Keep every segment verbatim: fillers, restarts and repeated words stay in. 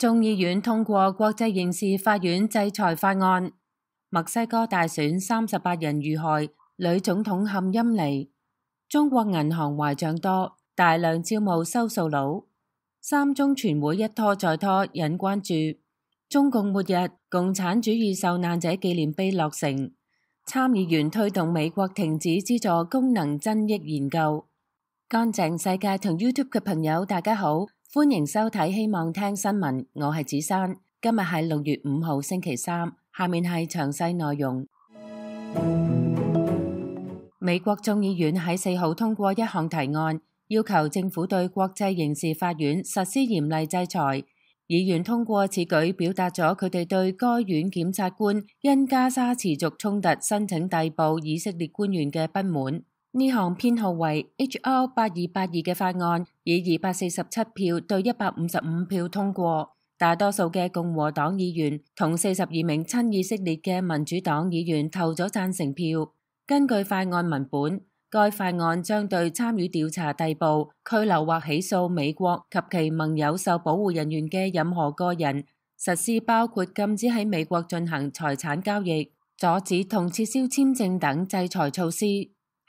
眾議院通過國際刑事法院制裁法案。墨西哥大選三十八人遇害，女總統陷陰霾。中國銀行壞賬多，大量招募收數佬。三中全會一拖再拖，引關注。中共末日，共產主義受難者紀念碑落成。參議員推動美國停止資助功能增益研究。乾淨世界同 YouTube 嘅朋友，大家好，歡迎收睇希望聽新聞，我係子珊。今日係六月五號星期三，下面係詳細內容。美國眾議院喺四號通過一項提案，要求政府對國際刑事法院實施嚴厲制裁。議員通過此舉，表達咗佢哋對該院檢察官因加沙持續衝突申請逮捕以色列官員嘅不滿。呢項編號為 H R 八二八二嘅法案以二百四十七票對一百五十五票通過，大多數嘅共和黨議員同四十二名親以色列嘅民主黨議員投咗贊成票。根據法案文本，該法案將對參與調查、逮捕、拘留或起訴美國及其盟友受保護人員嘅任何個人，實施包括禁止喺美國進行財產交易、阻止同撤銷簽證等制裁措施。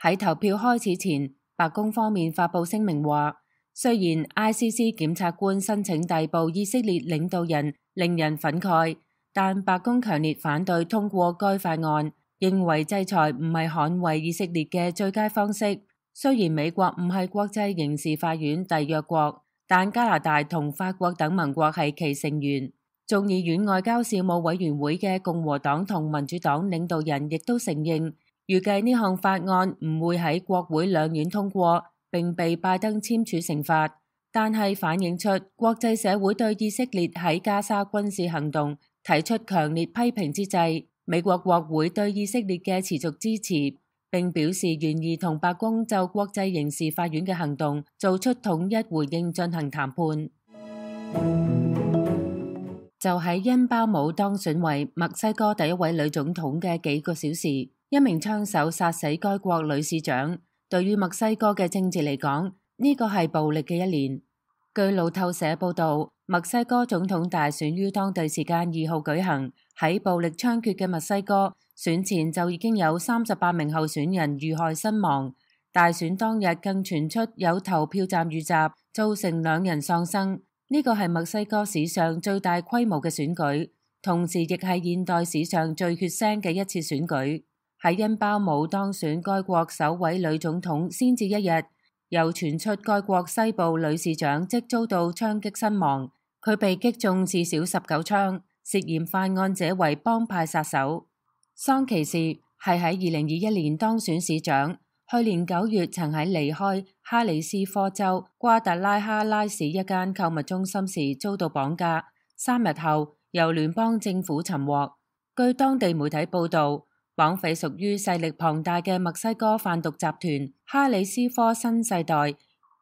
喺投票開始前，白宮方面發布聲明話，雖然 I C C 檢察官申請逮捕以色列領導人令人憤慨，但白宮強烈反對通過該法案，認為制裁唔係捍衛以色列嘅最佳方式。雖然美國唔係國際刑事法院締約國，但加拿大同法國等盟國係其成員。眾議院外交事務委員會嘅共和黨同民主黨領導人亦都承認，預計呢項法案唔會喺國會兩院通過，並被拜登簽署成法。但係反映出國際社會對以色列喺加沙軍事行動提出強烈批評之際，美國國會對以色列嘅持續支持，並表示願意同白宮就國際刑事法院嘅行動做出統一回應進行談判。就喺恩巴姆當選為墨西哥第一位女總統嘅幾個小時，一名槍手殺死該國女市長。對於墨西哥嘅政治嚟講，呢個係暴力嘅一年。據路透社報道，墨西哥總統大選於當地時間二號舉行。喺暴力猖獗嘅墨西哥，選前就已經有三十八名候選人遇害身亡。大選當日更傳出有投票站遇襲，造成兩人喪生。呢個係墨西哥史上最大規模嘅選舉，同時亦係現代史上最血腥嘅一次選舉。喺恩巴姆當選該國首位女總統先至一日，又傳出該國西部女市長即遭到槍擊身亡，佢被擊中至少十九槍，涉嫌犯案者為幫派殺手。桑奇士係喺二零二一年當選市長，去年九月曾喺離開哈里斯科州瓜達拉哈拉市一間購物中心時遭到綁架，三日後由聯邦政府尋獲。據當地媒體報道，綁匪屬於勢力龐大嘅墨西哥販毒集團哈里斯科新世代。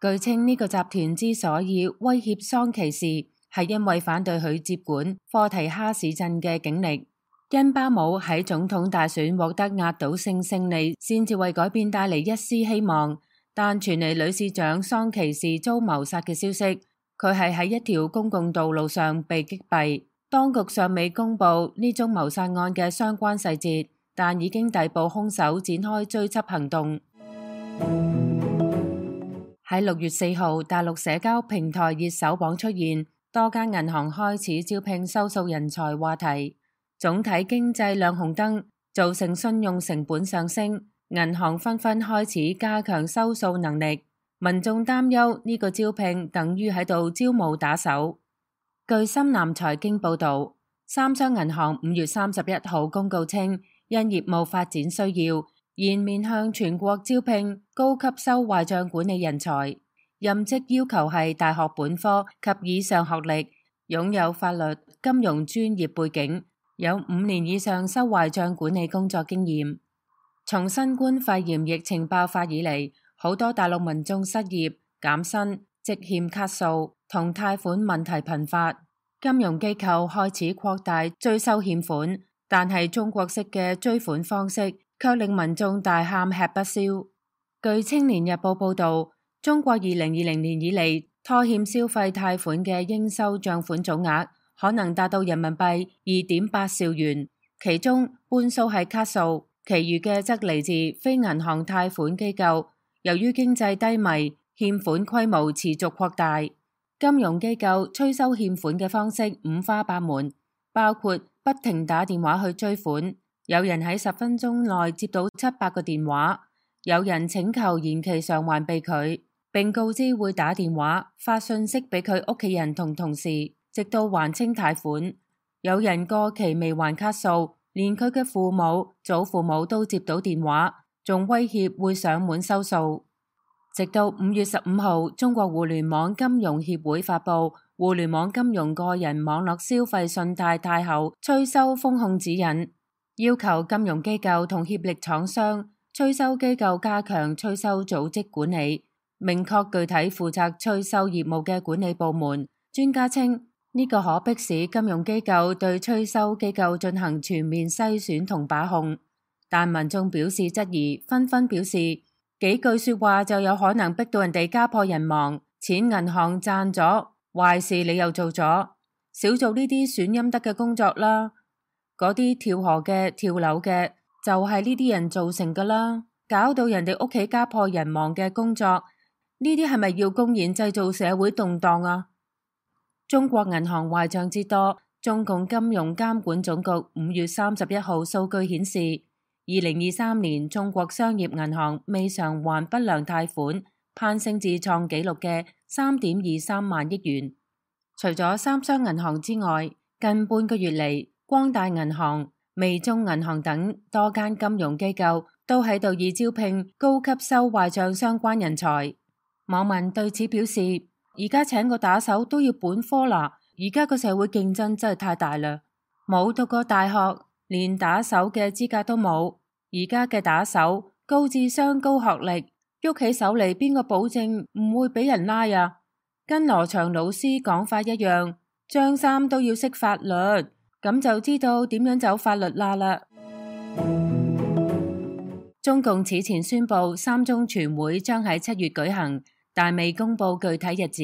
據稱呢個集團之所以威脅桑奇士，係因為反對佢接管科提哈市鎮嘅警力。恩巴姆喺總統大選獲得壓倒性勝利，先至為改變帶嚟一絲希望。但傳嚟女市長桑奇士遭謀殺嘅消息，佢係喺一條公共道路上被擊斃。當局尚未公布呢宗謀殺案嘅相關細節，但已經逮捕兇手，展開追緝行動。喺六月四號，大陸社交平台熱搜榜出現多間銀行開始招聘收數人才話題。總體經濟亮紅燈，造成信用成本上升，銀行紛紛開始加強收數能力。民眾擔憂呢個招聘等於喺度招募打手。據深南財經報導，三商銀行五月三十一號公告稱，因業務發展需要，現面向全國招聘高級收壞帳管理人才，任職要求係大學本科及以上學歷，擁有法律、金融專業背景，有五年以上收壞帳管理工作經驗。從新冠肺炎疫情爆發以嚟，好多大陸民眾失業、減薪、積欠卡數同貸款問題頻發，金融機構開始擴大追收欠款，但係中國式嘅追款方式卻令民眾大喊吃不消。據青年日報報導，中國二零二零年以嚟拖欠消費貸款嘅應收帳款總額可能達到人民幣二點八兆元，其中半數係卡數，其餘嘅則嚟自非銀行貸款機構。由於經濟低迷，欠款規模持續擴大，金融機構催收欠款嘅方式五花八門，包括不停打電話去追款，有人喺十分鐘內接到七百個電話，有人請求延期償還被拒，並告知會打電話發信息俾佢屋企人同同事，直到還清貸款。有人過期未還卡數，連佢嘅父母、祖父母都接到電話，仲威脅會上門收數。直到五月十五號，中國互聯網金融協會發布《互聯網金融個人網絡消費信貸貸後催收風控指引》，要求金融機構同協力廠商、催收機構加強催收組織管理，明確具體負責催收業務嘅管理部門。專家稱，呢個可迫使金融機構對催收機構進行全面篩選同把控。但民眾表示質疑，紛紛表示幾句說話就有可能逼到人哋家破人亡，錢銀行賺咗，壞事你又做咗，少做呢啲損陰德嘅工作啦。嗰啲跳河嘅、跳樓嘅，就係呢啲人造成噶啦，搞到人哋屋企家破人亡嘅工作，呢啲係咪要公然製造社會動盪啊？中國銀行壞賬之多，中共金融監管總局五月三十一號數據顯示，二零二三年中國商業銀行未償還不良貸款攀升至創紀錄嘅三點二三萬億元。除咗三商銀行之外，近半個月嚟，光大銀行、微眾銀行等多間金融機構都喺度以招聘高級收壞賬相關人才。網民對此表示，而家請個打手都要本科啦，而家個社會競爭真係太大啦，冇讀過大學，連打手嘅資格都冇。而家嘅打手高智商高學歷，喐起手嚟，邊個保證唔會俾人拉啊？跟羅翔老師講法一樣，張三都要識法律，咁就知道點樣走法律罅啦。中共此前宣布三中全會將喺七月舉行，但未公布具體日子。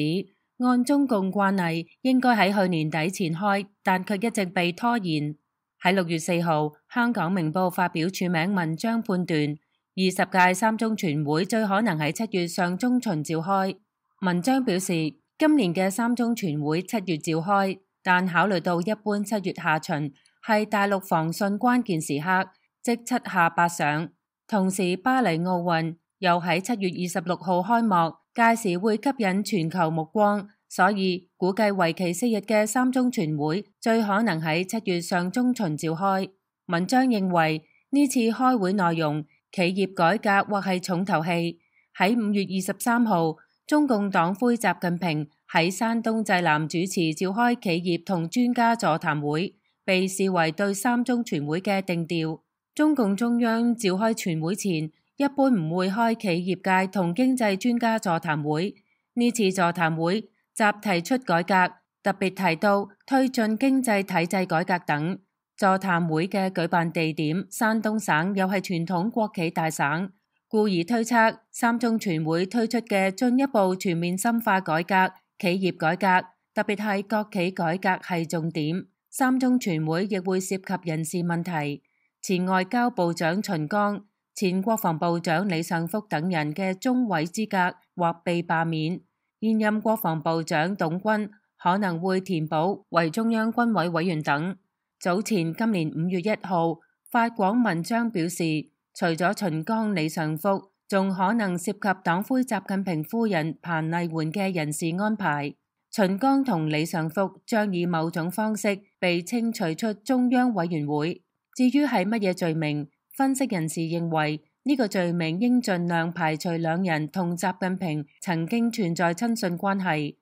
按中共慣例，應該喺去年底前開，但卻一直被拖延。喺六月四號，香港明報發表署名文章判斷，二十屆三中全會最可能喺七月上中旬召開。文章表示，今年嘅三中全會七月召開，但考慮到一般七月下旬係大陸防汛關鍵時刻，即七下八上，同時巴黎奧運又喺七月二十六號開幕，屆時會吸引全球目光。所以估計為期四日嘅三中全會最可能喺七月上中旬召開。文章認為呢次開會內容企業改革或係重頭戲。喺五月二十三號，中共黨魁習近平喺山東濟南主持召開企業同專家座談會，被視為對三中全會嘅定調。中共中央召開全會前一般唔會開企業界同經濟專家座談會，呢次座談會集提出改革，特別提到推進經濟體制改革等。座談會嘅舉辦地點山東省又係傳統國企大省，故而推測三中全會推出嘅進一步全面深化改革、企業改革，特別係國企改革係重點。三中全會亦會涉及人事問題，前外交部長秦剛、前國防部長李尚福等人嘅中委資格或被罷免。現任國防部長董軍可能會填補為中央軍委委員等。早前今年五月一號發廣文章表示，除咗秦剛、李尚福，仲可能涉及黨魁習近平夫人彭麗媛嘅人事安排。秦剛同李尚福將以某種方式被清除出中央委員會。至於係乜嘢罪名，分析人士認為，呢個罪名應盡量排除兩人同習近平曾經存在親信關係，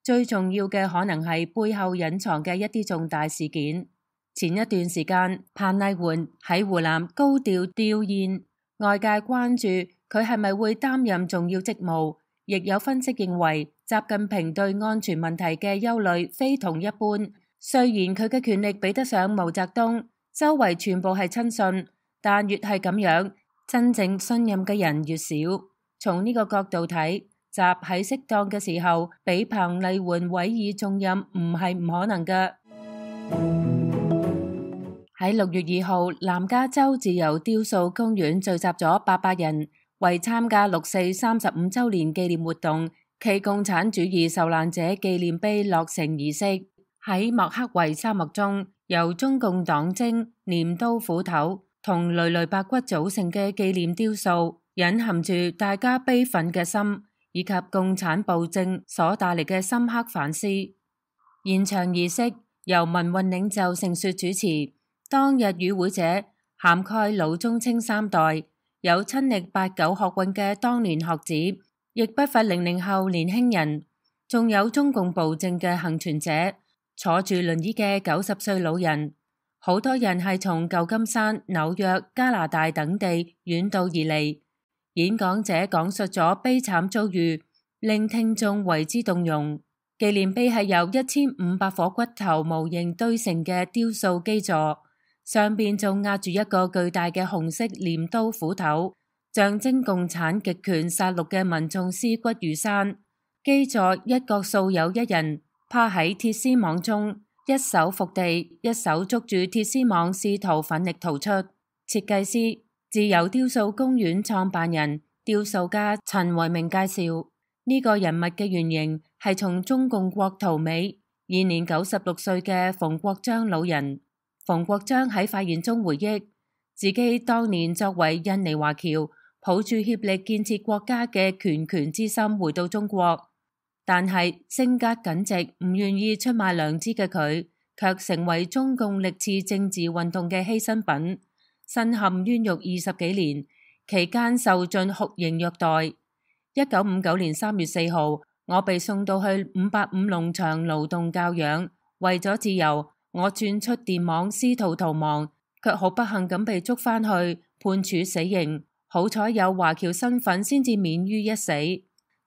最重要嘅可能係背後隱藏嘅一啲重大事件。前一段時間，彭麗媛喺湖南高調吊唁，外界關注佢係咪會擔任重要職務，亦有分析認為，習近平對安全問題嘅憂慮非同一般。雖然佢嘅權力比得上毛澤東，周圍全部係親信，但越係咁樣，真正信任嘅人越少。從呢個角度睇，習喺適當嘅時候俾彭麗媛委以重任唔係唔可能㗎。喺六月二號，南加州自由雕塑公園聚集咗八百人，為參加六四三十五週年紀念活動暨共產主義受難者紀念碑落成儀式。喺莫克維沙漠中，由中共黨徵、鐮刀斧頭同累累白骨組成嘅紀念雕塑，隱含住大家悲憤嘅心，以及共產暴政所帶嚟嘅深刻反思。現場儀式由民運領袖盛雪主持。當日與會者涵蓋老中青三代，有親歷八九學運嘅當年學子，亦不乏零零後年輕人，仲有中共暴政嘅幸存者，坐住輪椅嘅九十歲老人。好多人係從舊金山、紐約、加拿大等地遠道而嚟。演講者講述咗悲慘遭遇，令聽眾為之動容。紀念碑係由一千五百顆骨頭模型堆成嘅雕塑基座。上邊仲壓住一個巨大嘅紅色鐮刀斧頭，象徵共產極權殺戮嘅民眾屍骨如山。基座一角素有一人趴喺鐵絲網中，一手伏地，一手捉住鐵絲網，試圖奮力逃出。設計師、自由雕塑公園創辦人、雕塑家陳維明介紹，呢、這個人物嘅原型係從中共國逃美，現年九十六歲嘅馮國璋老人。馮國璋喺發言中回憶，自己當年作為印尼華僑，抱住協力建設國家嘅拳拳之心回到中國，但係性格耿直、唔願意出賣良知嘅佢，卻成為中共歷次政治運動嘅犧牲品，身陷冤獄二十幾年，期間受盡酷刑虐待。一九五九年三月四號，我被送到去五八五農場勞動教養，為咗自由。我鑽出電網，試圖逃亡，卻好不幸咁被捉返去，判處死刑。好彩有華僑身份，先至免於一死。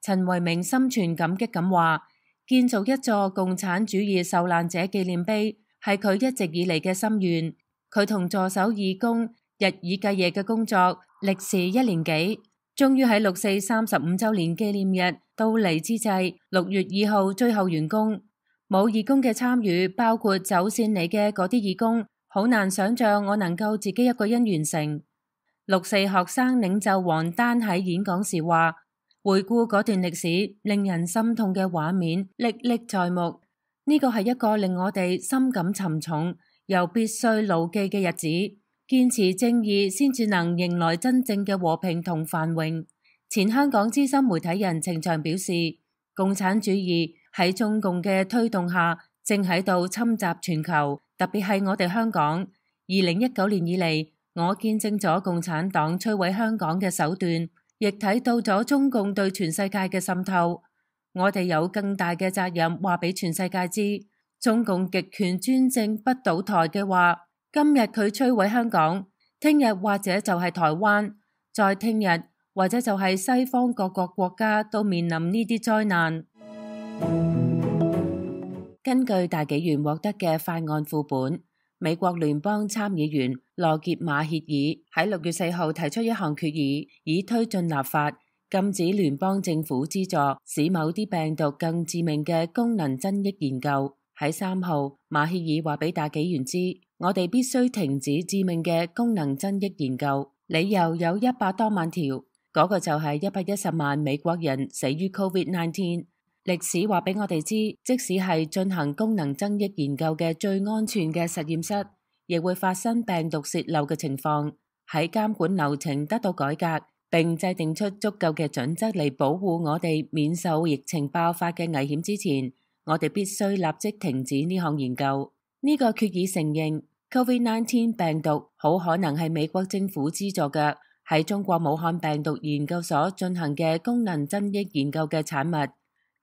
陳維明心存感激咁話：建造一座共產主義受難者紀念碑，係佢一直以嚟嘅心願。佢同助手義工日以繼夜嘅工作，歷時一年幾，終於喺六四三十五週年紀念日到嚟之際，六月二號最後完工。冇義工嘅參與，包括走線嚟嘅嗰啲義工，好難想象我能夠自己一個人完成。六四學生領袖王丹喺演講時話：回顧嗰段歷史，令人心痛嘅畫面歷歷在目。呢個係一個令我哋深感沉重又必須牢記嘅日子。堅持正義，先至能迎來真正嘅和平同繁榮。前香港資深媒體人程翔表示，共產主義喺中共嘅推動下，正喺度侵襲全球，特別係我哋香港。二零一九年以嚟，我見證咗共產黨摧毀香港嘅手段，亦睇到咗中共對全世界嘅滲透。我哋有更大嘅責任話俾全世界知，中共極權專政不倒台嘅話，今日佢摧毀香港，聽日或者就係台灣，再聽日或者就係西方各個國家都面臨呢啲災難。根據大紀元獲得嘅法案副本，美國聯邦參議員羅傑馬歇爾喺六月四號提出一項決議，以推進立法，禁止聯邦政府資助使某啲病毒更致命嘅功能增益研究。喺三號，馬歇爾話俾大紀元知，我哋必須停止致命嘅功能增益研究，理由有一百多萬條，嗰個就係一百一十萬美國人死於 Covid 十九。歷史話俾我哋知，即使係進行功能增益研究嘅最安全嘅實驗室，亦會發生病毒洩漏嘅情況。喺監管流程得到改革，並制定出足夠嘅準則嚟保護我哋免受疫情爆發嘅危險之前，我哋必須立即停止呢項研究。呢、這個決議承認 Covid 十九 病毒好可能係美國政府資助嘅喺中國武漢病毒研究所進行嘅功能增益研究嘅產物。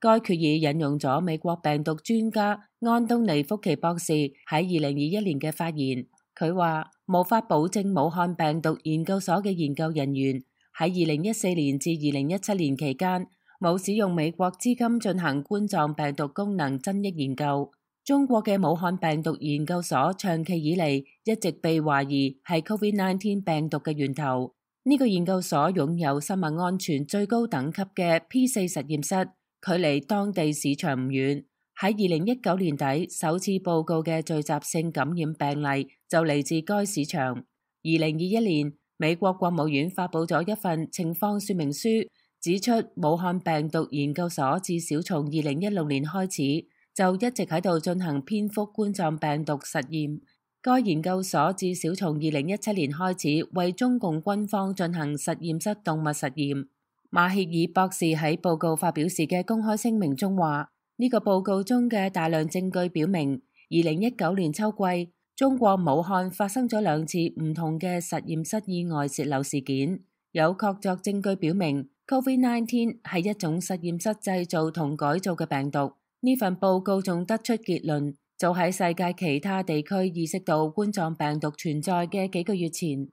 該決議引用咗美國病毒專家安東尼福奇博士喺二零二一年嘅發言，佢話無法保證武漢病毒研究所嘅研究人員喺二零一四年至二零一七年期間冇使用美國資金進行冠狀病毒功能增益研究。中國嘅武漢病毒研究所長期以嚟一直被懷疑係 Covid 十九 病毒嘅源頭。呢、這個研究所擁有生物安全最高等級嘅 P 四實驗室，距離當地市場唔遠。喺二零一九年底首次報告嘅聚集性感染病例就嚟自該市場。二零二一年，美國國務院發佈咗一份情況說明書，指出武漢病毒研究所至少從二零一六年開始就一直喺度進行蝙蝠冠狀病毒實驗。該研究所至少從二零一七年開始為中共軍方進行實驗室動物實驗。馬歇爾博士喺報告發表時嘅公開聲明中話，呢個報告中嘅大量證據表明，二零一九年秋季中國武漢發生咗兩次唔同嘅實驗室意外洩漏事件。有確鑿證據表明 COVID 十九 係一種實驗室製造同改造嘅病毒。呢份報告仲得出結論，早喺世界其他地區意識到冠狀病毒存在嘅幾個月前，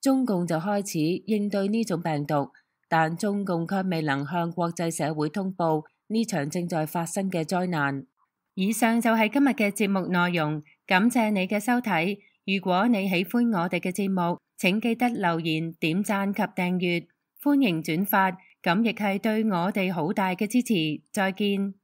中共就開始應對呢種病毒，但中共卻未能向國際社會通報呢場正在發生嘅災難。以上就係今日嘅節目內容，感謝你嘅收睇。如果你喜歡我哋嘅節目，請記得留言、點讚及訂閱，歡迎轉發，咁亦係對我哋好大嘅支持。再見。